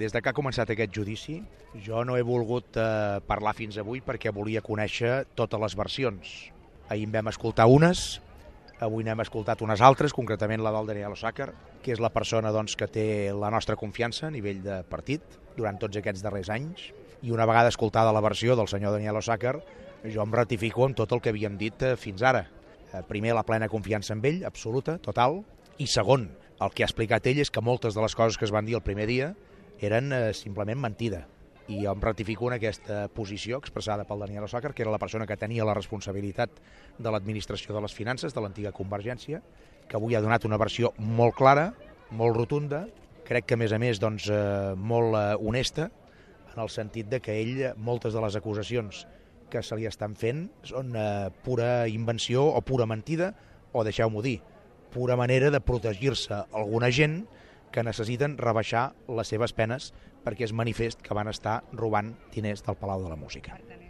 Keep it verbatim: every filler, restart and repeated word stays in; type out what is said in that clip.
Des de que ha començat aquest judici, jo no he volgut eh, parlar fins avui perquè volia conèixer totes les versions. Ahir en vam escoltar unes, avui n'hem escoltat unes altres, concretament la del Daniel Osàcar, que és la persona doncs, que té la nostra confiança a nivell de partit durant tots aquests darrers anys, i una vegada escoltada la versió del senyor Daniel Osàcar, jo em ratifico en tot el que havíem dit eh, fins ara. Eh, primer, la plena confiança en ell, absoluta, total, i segon, el que ha explicat ell és que moltes de les coses que es van dir el primer dia eren eh, simplement mentida. I jo em ratifico en aquesta posició expressada pel Daniel Osàcar, que era la persona que tenia la responsabilitat de l'administració de les finances de l'antiga Convergència, que avui ha donat una versió molt clara, molt rotunda, crec que a més a més doncs, eh, molt eh, honesta, en el sentit de que ell, moltes de les acusacions que se li estan fent són eh, pura invenció o pura mentida, o deixeu-m'ho dir, pura manera de protegir-se alguna gent que necessiten rebaixar les seves penes perquè és manifest que van estar robant diners del Palau de la Música.